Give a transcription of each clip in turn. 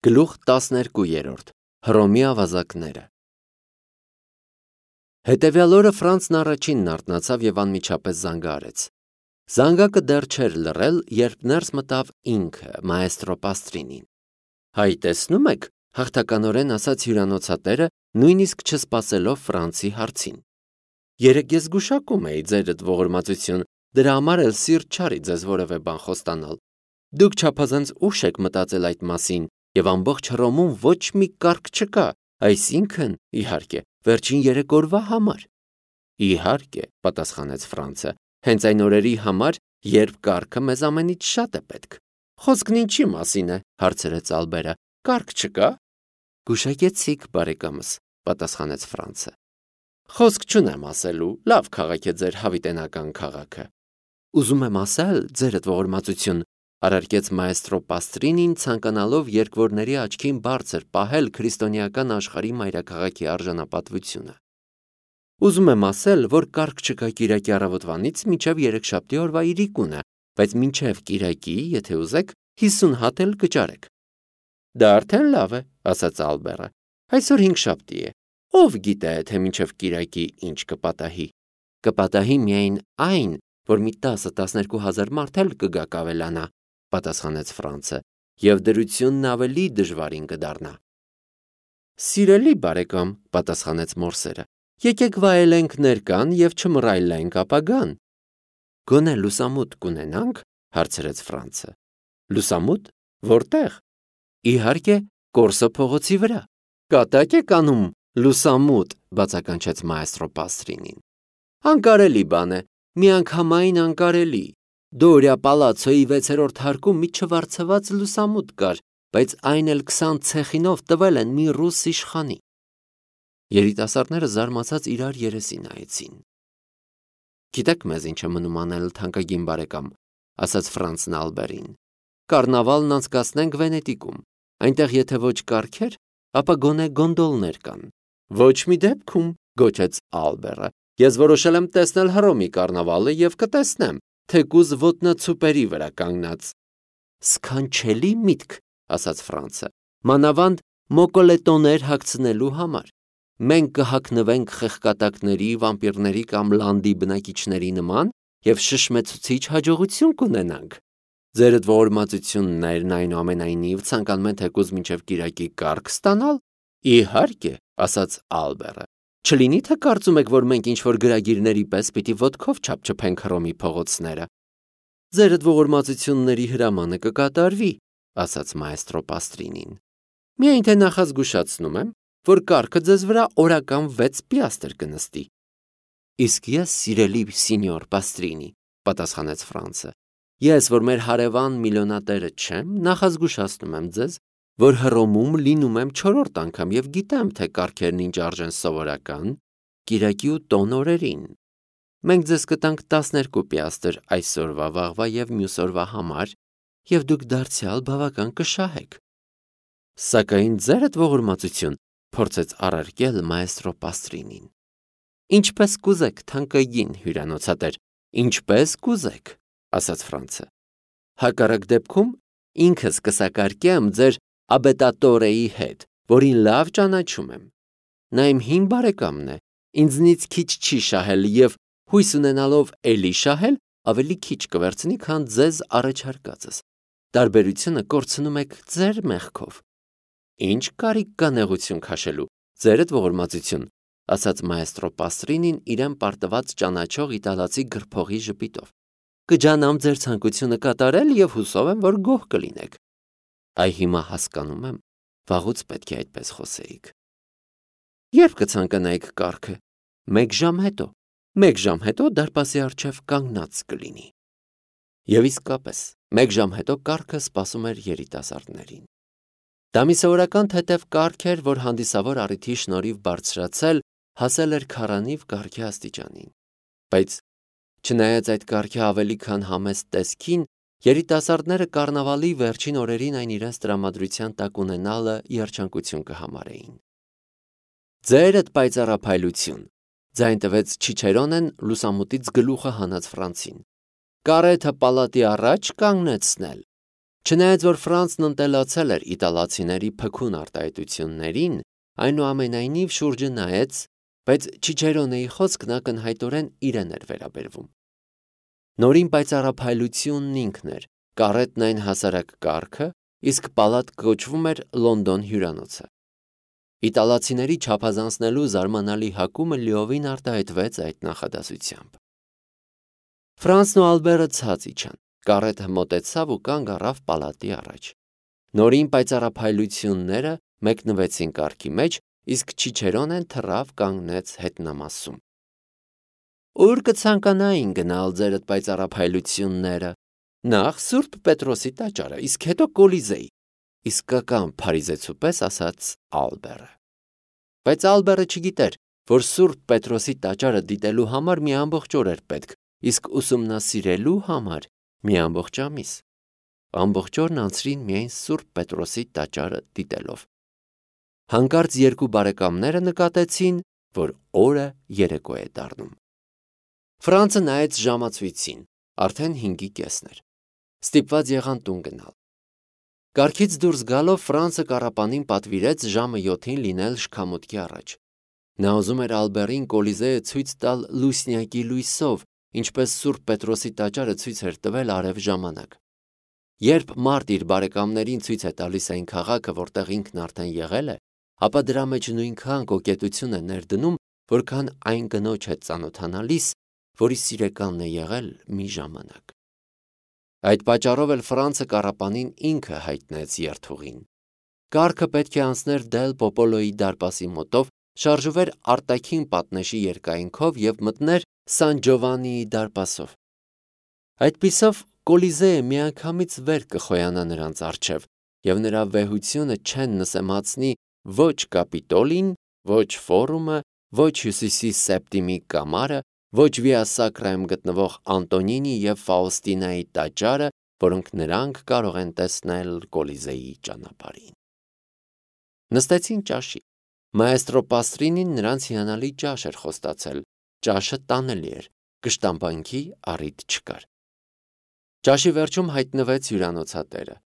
Գլուխ 12 Հռոմի ավազակները Հետևյալ օրը Ֆրանցն առաջինն արթնացավ և անմիջապես զանգը արեց։ Զանգակը դեռ չէր լռել, երբ ներս մտավ ինքը, մաեստրո Պաստրինին։ Հայ, տեսնում եք, հաղթականորեն ասաց հյուրանոցատերը, նույնիսկ չսպասելով Ֆրանցի հարցին։ Երեկ ես զգուշակում էի ձերդ ողորմածություն, դրա համար էլ սիրտ չարի ձեզ որևէ բան խոստանալ։ Դուք չափազանց ուշ եք մտածել այդ մասին, և ամբողջ Հռոմում ոչ մի կարգ չկա, այսինքն, իհարկե, վերջին 3 օրվա համար։ Իհարկե, պատասխանեց Ֆրանցը, հենց այն օրերի համար, երբ կարգը մեզ ամենից շատ է պետք։ Խոսքն ինչի մասին է, հարցրեց Ալբերը, կարգ չկա։ Գուշակեցիք, բարեկամս, պատասխանեց Ֆրանցը։ Խոսք չունեմ ասելու, լավ քաղաք է ձեր հավիտենական քաղաքը։ Ուզում եմ ասել, ձերդ ողորմածություն, արարքեց մաեստրո Պաստրինին, ցանկանալով երկվորների աչքին բարձր պահել քրիստոնեական աշխարհի մայրաքաղաքի արժանապատվությունը։ Ուզում եմ ասել, որ կարգ չկա կիրակի առավոտվանից մինչև երեքշաբթի օրվա իրիկունը, բայց մինչև կիրակի, եթե ուզեք, 50 հատ էլ կճարեք։ Դա արդեն լավ է, ասաց Ալբերը։ Այսօր հինգշաբթի է։ Ով գիտե, թե մինչև կիրակի ինչ կպատահի։ Կպատահի միայն այն, որ մի 10-12 հազար մարդ էլ կգա կավելանա, պատասխանեց Ֆրանցը, և դրությունն ավելի դժվարին կդառնա։ Սիրելի բարեկամ, պատասխանեց Մորսերը, եկեք վայելենք ներկան և չմռայլենք ապագան։ Գոնե լուսամուտ կունենանք, հարցրեց Ֆրանցը։ Լուսամուտ, որտեղ։ Իհարկե, Կորսո փողոցի վրա։ Կատակ եք անում լուսամուտ, բացականչեց մաեստրո Պաստրինին։ Անկարելի բան է, միանգամայն անկարելի։ Դորիա պալացոյի 6-րդ հարկում մի չվարձված լուսամուտ կար, բայց այն էլ 20 ցեխինով տվել են մի ռուս իշխանի։ Երիտասարդները զարմացած իրար երեսի նայեցին։ Գիտեք մեզ ինչ է մնում անել, թանկագին բարեկամ, ասաց Ֆրանցն Ալբերին։ Կառնավալն անցկացնենք Վենետիկում։ Այնտեղ եթե ոչ կարգեր, ապա գոնե գոնդոլներ կան։ Ոչ մի դեպքում, գոչեց Ալբերը։ Ես որոշել եմ տեսնել Հռոմի կառնավալը և կտեսնեմ, թեկուզ ոտնացուպերի վրա կանգնած։ Սքանչելի միտք, ասաց Ֆրանցը, մանավանդ մոկոլետոներ հագցնելու համար։ Մենք կհագնվենք խեղկատակների, վամպիրների կամ լանդի բնակիչների նման և շշմեցուցիչ հաջողություն կունենանք։ Ձերդ ողորմածություններն այնուամենայնիվ ցանկանում են թեկուզ մինչև կիրակի կարգ ստանալ։ Իհարկե, ասաց Ալբերը։ Չլինի թե կարծում եք, որ մենք ինչ-որ գրագիրների պես պիտի ոտքով չափչփենք Հռոմի փողոցները։ Ձերդ ողորմածությունների հրամանը կկատարվի, ասաց մաեստրո Պաստրինին։ Միայն թե նախազգուշացնում եմ, որ կարգը ձեզ վրա օրական 6 պիաստր կնստի։ Իսկ ես, սիրելի սինյոր Պաստրինի, պատասխանեց Ֆրանցը, ես, որ մեր հարևան միլիոնատերը չեմ, նախազգուշացնում եմ ձեզ, որ Հռոմում լինում եմ 4-րդ անգամ և գիտեմ, թե կարգերն ինչ արժեն սովորական, կիրակի ու տոն օրերին։ Մենք ձեզ կտանք 12 պիաստր այսօրվա, վաղվա և մյուս օրվա համար, և դուք դարձյալ բավական կշահեք։ Սակայն ձերդ ողորմածություն, փորձեց առարկել մաեստրո Պաստրինին։ Ինչպես կուզեք, թանկագին հյուրանոցատեր, ինչպես կուզեք, ասաց Ֆրանցը։ Հակառակ դեպքում ինքս կսակարկեմ ձեր աբետատորեի հետ, որին լավ ճանաչում եմ։ Նա իմ հին բարեկամն է, ինձնից քիչ չի շահել և հույս ունենալով էլի շահել, ավելի քիչ կվերցնի, քան ձեզ առաջարկածս։ Տարբերությունը կորցնում եք ձեր մեղքով։ Ինչ կարիք կա նեղություն քաշելու, ձերդ ողորմածություն, ասաց մաեստրո Պաստրինին իրեն պարտված ճանաչող իտալացի գրփողի ժպիտով։ Կջանամ ձեր ցանկությունը կատարել և հուսով եմ, որ գոհ կլինեք։ Այ հիմա հասկանում եմ, վաղուց պետք է այդպես խոսեիք։ Երբ կցանկանայիք կարգը։ 1 ժամ հետո։ 1 ժամ հետո դարպասի առջև կանգնած կլինի։ Եվ իսկապես, 1 ժամ հետո կարգը սպասում էր երիտասարդներին։ Դա մի սովորական թեթև կարգ էր, որ հանդիսավոր առիթի շնորհիվ բարձրացել, հասել էր քառանիվ կարգի աստիճանին։ Բայց չնայած այդ կարգի ավելի քան համեստ տեսքին, երիտասարդները կառնավալի վերջին օրերին այն իրենց տրամադրության տակ ունենալը երջանկություն կհամարեին։ Ձերդ պայծառափայլություն, ձայն տվեց Չիչերոնեն լուսամուտից գլուխը հանած Ֆրանցին։ Կարեթը պալատի առաջ կանգնեցնել։ Չնայած որ Ֆրանսն ընտելացել էր իտալացիների փքուն արտահայտություններին, այնուամենայնիվ շուրջը նայեց, բայց Չիչերոնեի խոսքն ակնհայտորեն իրեն էր վերաբերվում։ Նորին պայծառափայլությունն ինքն էր, կարետն այն հասարակ կարգը, իսկ պալատ կոչվում էր Լոնդոն հյուրանոցը։ Իտալացիների չափազանցնելու զարմանալի հակումը լիովին արտահայտվեց այդ նախադասությամբ։ Ֆրանսն ու Ալբերը ցած իջան, կարետը մոտեցավ ու կանգ առավ պալատի առաջ։ Նորին պայծառափայլությունները մեկնվեցին կարգի մեջ, իսկ Չիչերոնեն թռավ կանգնեց հետնամասում։ Ուր կցանկանային գնալ ձերդ պայծառափայլությունները։ Նախ Սուրբ Պետրոսի տաճարը, իսկ հետո Կոլիզեի, իսկական փարիզեցու պես ասաց Ալբերը։ Բայց Ալբերը չգիտեր, որ Սուրբ Պետրոսի տաճարը դիտելու համար մի ամբողջ օր էր պետք, իսկ ուսումնասիրելու համար մի ամբողջ ամիս։ Ամբողջ օրն անցրին միայն Սուրբ Պետրոսի տաճարը դիտելով։ Հանկարծ երկու բարեկամները նկատեցին, որ օրը երեկո է դառնում։ Ֆրանսը նայեց ժամացույցին, արդեն 5:30 էր։ Ստիպված եղան տուն գնալ։ Կարգից դուրս գալով Ֆրանսը կառապանին պատվիրեց ժամը 7-ին լինել շքամուտքի առաջ։ Նա ուզում էր Ալբերին Կոլիզեը ցույց տալ լուսնյակի լույսով, ինչպես Սուրբ Պետրոսի տաճարը ցույց էր տվել արև ժամանակ։ Երբ մարդ իր բարեկամներին ցույց է տալիս այն քաղաքը, որտեղ ինքն արդեն եղել է, ապա դրա մեջ նույնքան կոկետություն է ներդնում, որքան այն կնոջ հետ ծանոթանալիս, որի սիրեկանն է եղել մի ժամանակ։ Այդ պատճառով էլ Ֆրանսը կառապանին ինքը հայտնեց երթուղին։ Կառքը պետք է անցներ Դել Պոպոլոյի դարպասի մոտով, շարժվեր արտաքին պատնեշի երկայնքով եւ մտներ Սան Ջովանիի դարպասով։ Այդպիսով Կոլիզեը միանգամից վեր կխոյանա նրանց առջև, եւ նրա վեհությունը չեն նսեմացնի ոչ Կապիտոլին, ոչ Ֆորումը, ոչ Հյուսիսի Սեպտիմի կամարը, ոչ Վիա Սակրայում գտնվող Անտոնինի եւ Ֆաուստինայի տաճարը, որոնք նրանք կարող են տեսնել Կոլիզեի ճանապարհին։ Նստեցին ճաշի։ Մաեստրո Պաստրինին նրանց հիանալի ճաշ էր խոստացել։ Ճաշը տանելի էր, կշտամբանքի առիթ չկար։ Ճաշի վերջում հայտնվեց հյուրանոցատերը։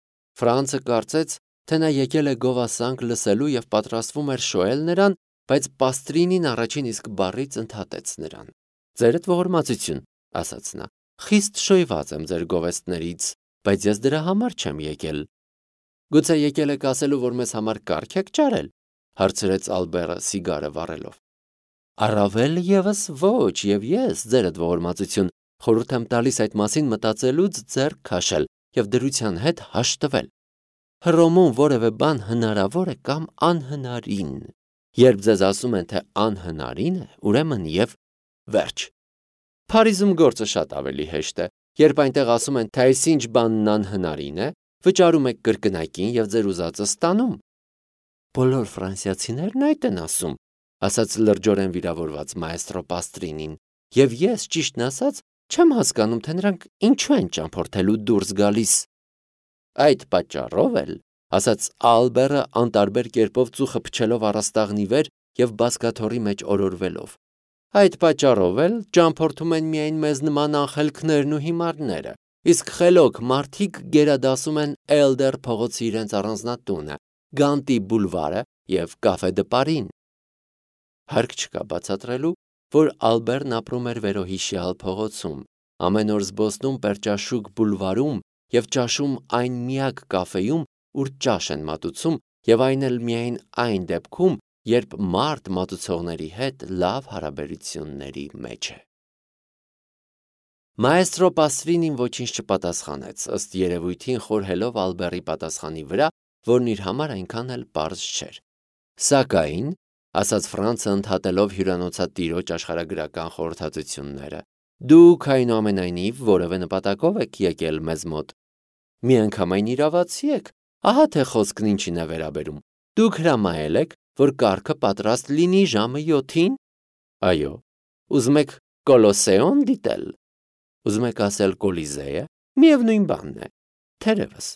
Ֆրանսը կարծեց, թե նա եկել է գովասանք լսելու եւ պատրաստվում էր շոյել նրան, բայց Պաստրինին առաջին իսկ բառից ընդհատեց նրան։ Ձերդ ողորմածություն, ասաց նա, խիստ շոյված եմ ձեր գովեստներից, բայց ես դրա համար չեմ եկել։ Գուցե եկել եք ասելու, որ մեզ համար կարգ եք ճարել, հարցրեց Ալբերը սիգարը վառելով։ Առավել եւս ոչ, եւ ես ձերդ ողորմածություն խորհուրդ եմ տալիս այդ մասին մտածելուց ձեռք քաշել եւ դրության հետ հաշտվել։ Հռոմում որևէ բան հնարավոր է կամ անհնարին։ Երբ ձեզ ասում են, թե անհնարին է, ուրեմն եւ վերջ։ Փարիզում գործը շատ ավելի հեշտ է, երբ այնտեղ ասում են, թե այսինչ բանն անհնարին է, վճարում եք կրկնակին եւ ձեր ուզածը ստանում։ Բոլոր ֆրանսիացիներն այդ են ասում, ասաց լրջորեն վիրավորված մաեստրո Պաստրինին, եւ ես ճիշտն ասած չեմ հասկանում, թե նրանք ինչու են ճամփորդելու դուրս գալիս։ Այդ պատճառով էլ, ասաց Ալբերը անտարբեր կերպով ծուխը փչելով առաստաղնի վեր եւ բազկաթոռի մեջ օրորվելով։ Այդ պատճառով էլ ճամփորդում են միայն մեզ նման անխելքներն ու հիմարները, իսկ խելոք մարդիկ գերադասում են Էլդեր փողոցի իրենց առանձնատունը, Գանտի բուլվարը եւ Կաֆե դը Պարին։ Հարկ չկա բացատրելու, որ Ալբերն ապրում էր վերոհիշյալ փողոցում, ամեն օր զբոսնում Պերճաշուկ բուլվարում եւ ճաշում այն միակ կաֆեում, ուր ճաշ են մատուցում, եւ այն էլ միայն այն դեպքում, երբ մարդ մատուցողների հետ լավ հարաբերությունների մեջ է։ Մաեստրո Պաստրինին ոչինչ չպատասխանեց, ըստ երևույթին խորհելով Ալբերի պատասխանի վրա, որն իր համար այնքան էլ պարզ չէր։ Սակայն, ասաց Ֆրանսը ընդհատելով հյուրանոցատիրոջ աշխարհագրական խորհրդածությունները, դուք այնուամենայնիվ որևէ նպատակով եք եկել մեզ մոտ։ Միանգամայն իրավացի եք, ահա թե խոսքն ինչին է վերաբերում։ Դուք հրամայել եք, որ կառքը պատրաստ լինի ժամը 7-ին։ Այո։ Ուզում եք Կոլոսեոն դիտել։ Ուզում եք ասել Կոլիզեը, միևնույն բանն է։ Թերևս։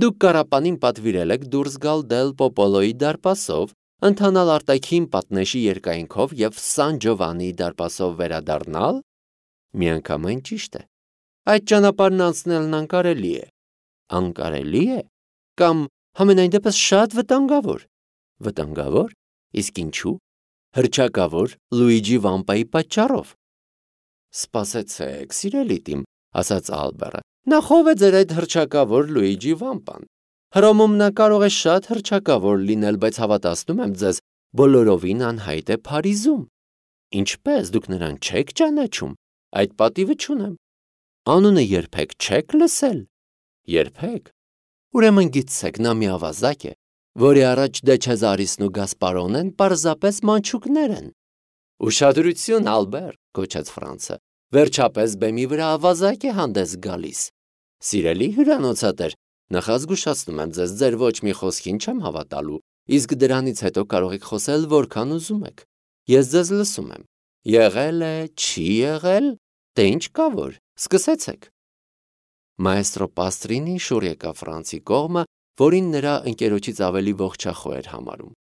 Դուք կառապանին պատվիրել եք դուրս գալ Դել Պոպոլոյի դարպասով, ընթանալ արտաքին պատնեշի երկայնքով եւ Սան Ջովանիի դարպասով վերադառնալ։ Միանգամայն ճիշտ է։ Այդ ճանապարհն անցնելն անկարելի է։ Անկարելի է, կամ համենայն դեպս շատ վտանգավոր։ Վտանգավոր։ Իսկ ինչու։ Հռչակավոր Լուիջի Վամպայի պատճառով։ Սպասեցեք, սիրելի տիմ, ասաց Ալբերը, նախ ով է ձեր այդ հռչակավոր Լուիջի Վամպան։ Հռոմում նա կարող է շատ հռչակավոր լինել, բայց հավատացնում եմ ձեզ, բոլորովին անհայտ է Փարիզում։ Ինչպես դուք նրան չեք ճանաչում։ Այդ պատիվը չունեմ։ Անունը երբեք չեք լսել։ Երբեք։ Ուրեմն գիտեք, նա մի ավազակ է, որի առաջ Դե Չեզարիսն ու Գասպարոնեն պարզապես մանչուկներ են։ Ուշադրություն, Ալբեր, գոչեց Ֆրանսը։ Վերջապես բեմի վրա ավազակ է հանդես գալիս։ Սիրելի հյուրանոցատեր, նախազգուշացնում եմ ձեզ, ձեր ոչ մի խոսքին չեմ հավատալու, իսկ դրանից հետո կարող եք խոսել որքան ուզում եք։ Ես ձեզ լսում եմ։ Եղել է, չի եղել, դե ինչ կա որ, սկսեցեք։ Մայստրո Պաստրինին շուռ եկավ Ֆրանսի կողմը, որին նրա ընկերոջից ավելի ողջախոհ էր համարում։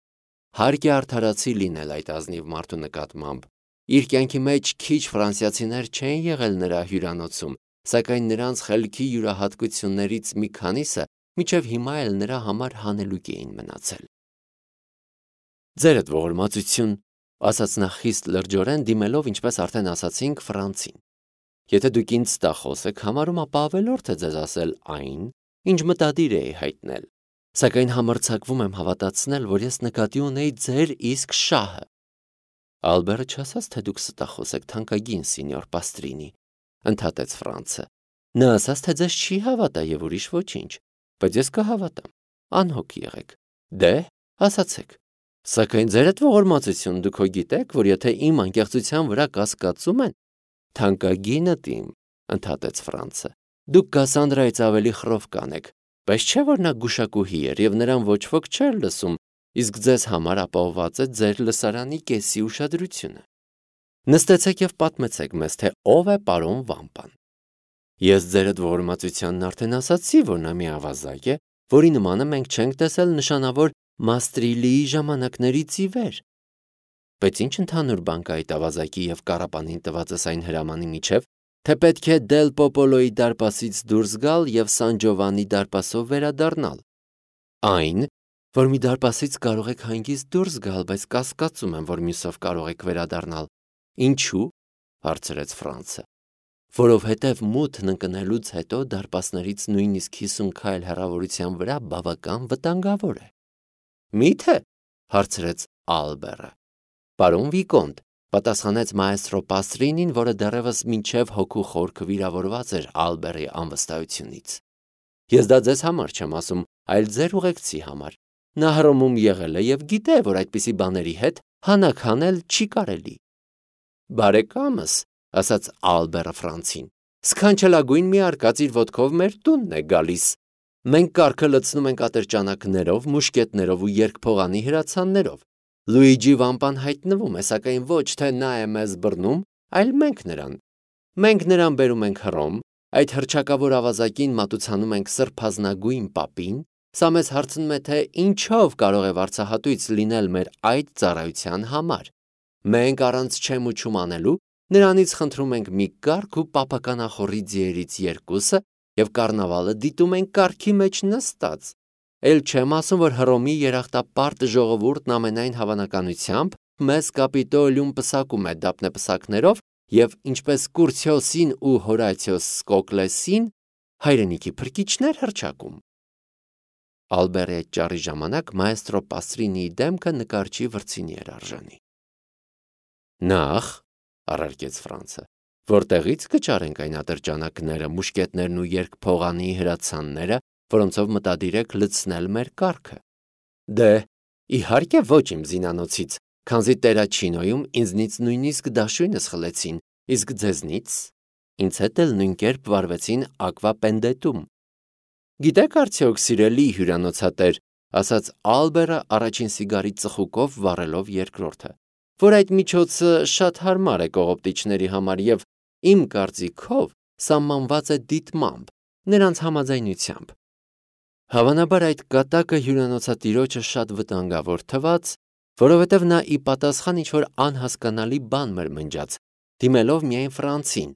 Հարկ է արդարացի լինել այդ ազնիվ մարդու նկատմամբ։ Իր կյանքի մեջ քիչ ֆրանսիացիներ չեն եղել նրա հյուրանոցում, սակայն նրանց խելքի յուրահատկություններից մի քանիսը մինչև հիմա էլ նրա համար հանելուկ էին մնացել։ Ձերդ ողորմածություն, ասաց նա խիստ լրջորեն, դիմելով, ինչպես արդեն ասացինք, Ֆրանսին։ Եթե դուք ինձ ստախոս եք համարում, ապա ավելորդ է ձեզ ասել այն, ինչ մտադիր էի հայտնել, սակայն համարձակվում եմ հավատացնել, որ ես նկատի ունեի ձեր իսկ շահը։ Ալբերը չասաց, թե դուք ստախոս եք, թանկագին սենյոր Պաստրինի, ընդհատեց Ֆրանսը։ Նա ասաց, թե ձեզ չի հավատա եւ ուրիշ ոչինչ, բայց ես կհավատամ։ Անհոգ եղեք։ Դե, ասացեք։ Սակայն ձերդ ողորմածություն, դուք հո գիտեք, որ եթե իմ անկեղծության վրա կասկածում են, թանկագինը տիմ, ընդհատեց Ֆրանսը, դուք Կասանդրայից ավելի խռով կանեք, բայց չէ՞ որ նա գուշակուհի էր եւ նրան ոչ ոք չէր լսում, իսկ ձեզ համար ապահովված է ձեր լսարանի կեսի ուշադրությունը։ Նստեցեք եւ պատմեցեք մեզ, թե ով է պարոն Վամպան։ Ես ձերդ ողորմածությանն արդեն ասացի, որ նա մի ավազակ է, որի նմանը մենք չենք տեսել նշանավոր Մաստրիլիի ժամանակներից ի վեր։ Բայց ինչ ընդհանուր բան կա այդ ավազակի եւ կառապանին տվածս այն հրամանի միջև, թե պետք է Դել Պոպոլոյի դարպասից դուրս գալ եւ Սան Ջովանի դարպասով վերադառնալ։ Այն, որ մի դարպասից կարող եք հանգիստ դուրս գալ, բայց կասկածում եմ, որ մյուսով կարող եք վերադառնալ։ Ինչու՞, հարցրեց Ֆրանսը։ Որովհետև մութն ընկնելուց հետո դարպասներից նույնիսկ 50 քայլ հեռավորության վրա բավական վտանգավոր է։ Մի՞թե, հարցրեց Ալբերը։ Պարոն Վիկոնտ, պատասխանեց մայստրո Պաստրինին, որը դեռևս մինչև հոգու խորքը վիրավորված էր Ալբերի անվստահությունից։ Ես դա ձեզ համար չեմ ասում, այլ ձեր ուղեկցի համար։ Նա Հռոմում եղել է եւ գիտե, որ այդպիսի բաների հետ հանակ հանել չի կարելի։ Բարեկամս, ասաց Ալբերը Ֆրանսին, սքանչելագույն մի արկած իր ոտքով մեր տունն է գալիս։ Մենք կառքը լցնում ենք ատրճանակներով, մուշկետներով ու երկփողանի հրացաններով։ Լուիջի Վամպան հայտնվում է, սակայն ոչ թե նա է մեզ բռնում, այլ մենք նրան։ Մենք նրան բերում ենք Հռոմ, այդ հռչակավոր ավազակին մատուցանում ենք սրբազնագույն պապին, սա մեզ հարցնում է, թե ինչով կարող է վարձահատույց լինել մեր այդ ծառայության համար։ Մենք առանց չեմ ու չում անելու նրանից խնդրում ենք մի կառք ու պապականախորի ձիերից երկուսը եւ կառնավալը դիտում ենք կառքի մեջ նստած։ Էլ չեմ ասում, որ Հռոմի երախտապարտ ժողովուրդն ամենայն հավանականությամբ մեզ Կապիտոլիում պսակում է դափնեպսակներով եւ ինչպես Կուրցիոսին ու Հորացիոս Սկոկլեսին հայրենիքի փրկիչներ հռչակում։ Ալբերի այդ ճառի ժամանակ մայստրո Պաստրինիի դեմքը նկարչի վրձինի էր արժանի։ Նախ, առարկեց Ֆրանսը, որտեղից կճարենք այն ատրճանակները, մուշկետներն ու երկփողանի հրացանները, որոնցով մտադիր եք լցնել մեր կառքը։ Դե, իհարկե ոչ իմ զինանոցից, քանզի Տերաչինոյում ինձնից նույնիսկ դաշույնս խլեցին, իսկ ձեզնից ինձ հետ էլ նույն կերպ վարվեցին Ակվապենդետում։ Գիտեք արդյոք, սիրելի հյուրանոցատեր, ասաց Ալբերը առաջին սիգարի ծխուկով վառելով երկրորդը, որ այդ միջոցը շատ հարմար է կողոպտիչների համար եւ իմ կարծիքով սահմանված է դիտմամբ, նրանց համաձայնությամբ։ Հավանաբար այդ կատակը հյուրանոցատիրոջը շատ վտանգավոր թվաց, որովհետև նա ի պատասխան ինչ-որ անհասկանալի բան մրմնջաց, դիմելով միայն Ֆրանսին,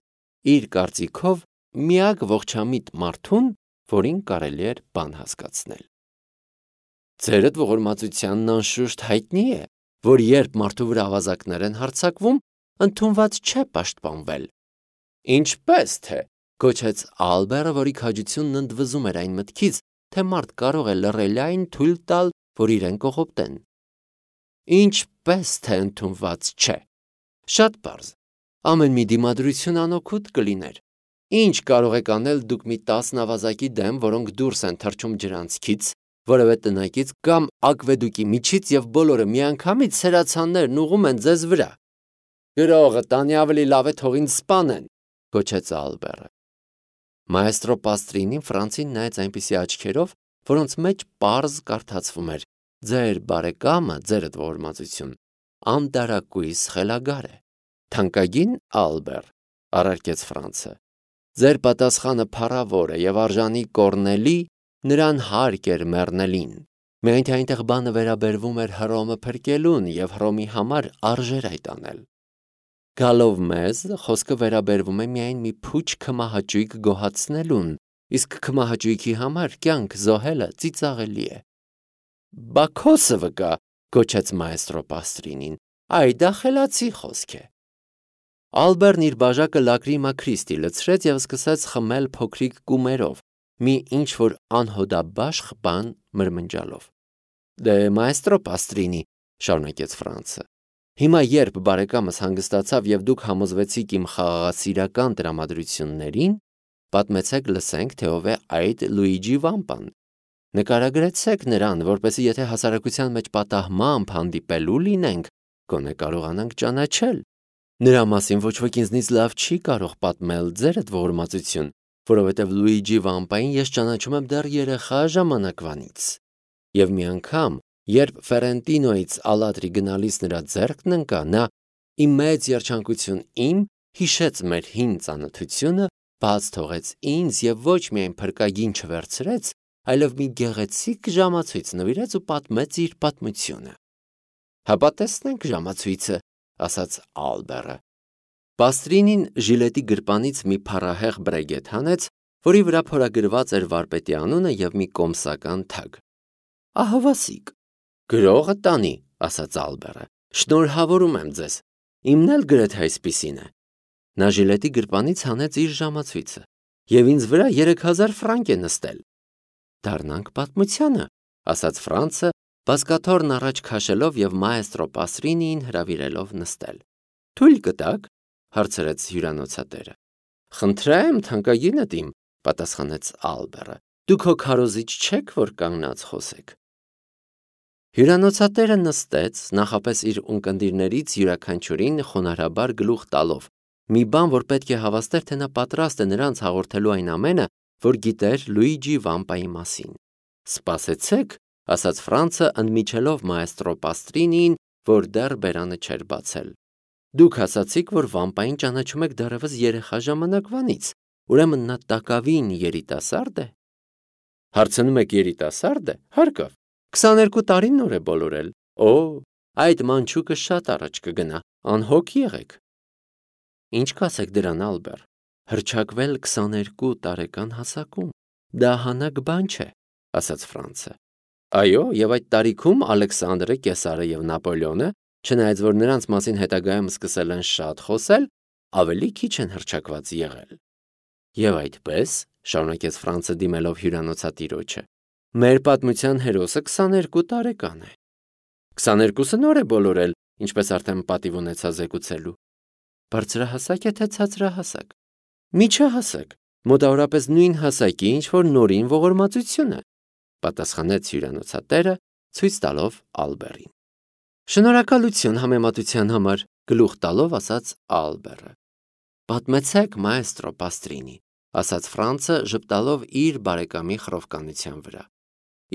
իր կարծիքով միակ ողջամիտ մարդուն, որին կարելի էր բան հասկացնել։ Ձերդ ողորմածությանն անշուշտ հայտնի է, որ երբ մարդու վրա ավազակներ են հարձակվում, ընդունված չէ պաշտպանվել։ Ինչպես թե, գոչեց Ալբերը, որի քաջությունն ընդվզում էր այն մտքից, թե մարդ կարող է լռելային թույլ տալ, որ իրեն կողոպտեն։ Ինչպես թե ընդունված չէ։ Շատ պարզ։ Ամեն մի դիմադրություն անօգուտ կլիներ։ Ինչ կարող եք անել դուք մի 10 ավազակի դեմ, որոնք դուրս են թռչում ջրանցքից, որևէ տնակից կամ ակվեդուկի միջից եւ բոլորը միանգամից սերացաններն ուղում են ձեզ վրա։ Գրողը տանի ավելի լավ է թող ինձ սպանեն, գոչեց Ալբերը։ Մայստրո Պաստրինին Ֆրանցին նայեց այնպիսի աչքերով, որոնց մեջ պարզ կարդացվում էր. ձեր բարեկամը, ձերդ ողորմածություն, անտարակույս խելագար է։ Թանկագին Ալբեր, առարկեց Ֆրանցը, ձեր պատասխանը փառավոր է եւ արժանի կորնելի, նրան հարկ էր մեռնելին։ Միայն թե այնտեղ բանը վերաբերվում էր Հռոմը փրկելուն եւ Հռոմի համար արժեր այդ անել։ Գալով մեզ, խոսքը վերաբերվում է միայն մի փուչ քմահաճույք գոհացնելուն, իսկ քմահաճույքի համար կյանք զոհելը ծիծաղելի է։ Բաքոսը վկա, գոչեց մայստրո Պաստրինին, այ դա խելացի խոսք է։ Ալբերն իր բաժակը լակրի մաքրիստի լցրեց եւ սկսեց խմել փոքրիկ կումերով, մի ինչ-որ անհոդաբաշխ բան մրմնջալով։ Դե մայստրո Պաստրինի, շարունակեց Ֆրանցը, հիմա երբ բարեկամս հանգստացավ եւ դուք համոզվեցիք իմ խաղաղասիրական տրամադրություններին, պատմեցեք լսենք, թե ով է այդ Լուիջի Վամպան։ Նկարագրեցեք նրան, որպեսզի եթե հասարակության մեջ պատահմամբ հանդիպելու լինենք, գոնե կարողանանք ճանաչել։ Նրա մասին ոչ ոք ինձնից լավ չի կարող պատմել, ձերդ ողորմածություն, որովհետև Լուիջի Վամպային ես ճանաչում եմ դեռ երեխա ժամանակվանից։ Եվ մի անգամ, երբ Ֆերենտինոյից Ալատրի գնալիս նրա ձեռքն ընկա, նա իմ մեծ երջանկություն հիշեց մեր հին ծանոթությունը, բաց թողեց ինձ եւ ոչ միայն փրկագին չվերցրեց, այլև մի գեղեցիկ ժամացույց նվիրեց ու պատմեց իր պատմությունը։ Հապա տեսնենք ժամացույցը, ասաց Ալբերը։ Պաստրինին ժիլետի գրպանից մի փառահեղ բրեգետ հանեց, որի վրա փորագրված էր վարպետի անունը եւ մի կոմսական թագ։ Ահավասիկ։ Գրողը տանի, ասաց Ալբերը։ Շնորհավորում եմ ձեզ։ Իմն էլ գրեթե այսպիսին է։ Նա ժիլետի գրպանից հանեց իր ժամացույցը եւ ինձ վրա 3000 ֆրանկ է նստել։ Դառնանք պատմությանը, ասաց Ֆրանցը, բազկաթոռն առաջ քաշելով եւ մայստրո Պաստրինին հրավիրելով նստել։ Թույլ կտակ, հարցրեց հյուրանոցատերը։ Խնդրեմ, թանկագինդ իմ, պատասխանեց Ալբերը։ Դուք հո քարոզիչ չեք, որ կանգնած խոսեք։ Հյուրանոցատերը նստեց, նախապես իր ունկնդիրներից յուրաքանչյուրին խոնարհաբար գլուխ տալով, մի բան, որ պետք է հավաստեր, թե նա պատրաստ է նրանց հաղորդելու այն ամենը, որ գիտեր Լուիջի Վամպայի մասին։ Սպասեցեք, ասաց Ֆրանցը, ընդմիջելով մայստրո Պաստրինին, որ դեռ բերանը չէր բացել։ Դուք ասացիք, որ Վամպային ճանաչում եք դեռևս երեխա ժամանակվանից, ուրեմն նա տակավին երիտասարդ է։ Հարցնում եք երիտասարդ է, հարկավ, 22 տարին նոր է բոլորել։ Օ, այդ մանչուկը շատ առաջ կգնա, անհոգ եղեք։ Ինչ կասեք դրան, Ալբեր, հռչակվել 22 տարեկան հասակում, դա հանակ բան չէ, ասաց Ֆրանցը։ Այո, եւ այդ տարիքում Ալեքսանդրը, Կեսարը եւ Նապոլեոնը, չնայած որ նրանց մասին հետագայում սկսել են շատ խոսել, ավելի քիչ են հռչակված եղել։ Եվ այդպես, շարունակեց Ֆրանցը դիմելով հյուրանոցատիրոջը, մեր պատմության հերոսը 22 տարեկան է։ 22-ը նոր է բոլորել, ինչպես արդեն պատիվ ունեցա զեկուցելու։ Բարձրահասակ է թե ցածրահասակ։ Միջահասակ, մոտավորապես նույն հասակի, ինչ որ նորին ողորմածությունը, պատասխանեց հյուրանոցատերը, ցույց տալով Ալբերին։ Շնորհակալություն համեմատության համար, գլուխ տալով ասաց Ալբերը։ Պատմեցեք մայստրո Պաստրինի, ասաց Ֆրանցը, ժպտալով իր բարեկամի խռովկանության վրա։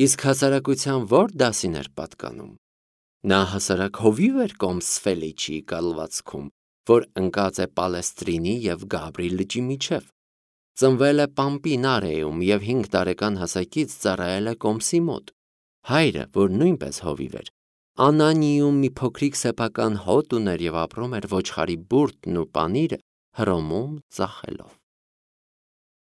Իսկ հասարակության ո՞ր դասին էր պատկանում։ Նա հասարակ հովիվ էր Կոմսֆելիչի կալվածքում, որ ընկած է Պալեստրինի եւ Գաբրի լճի միջև։ Ծնվել է Պամպինարեում եւ 5 տարեկան հասակից ծառայել է Կոմսի մոտ։ Հայրը, որ նույնպես հովիվ էր, Անանիում մի փոքրիկ սեփական հոտ ուներ եւ ապրում էր ոչխարի բուրդն ու պանիրը Հռոմում ծախելով։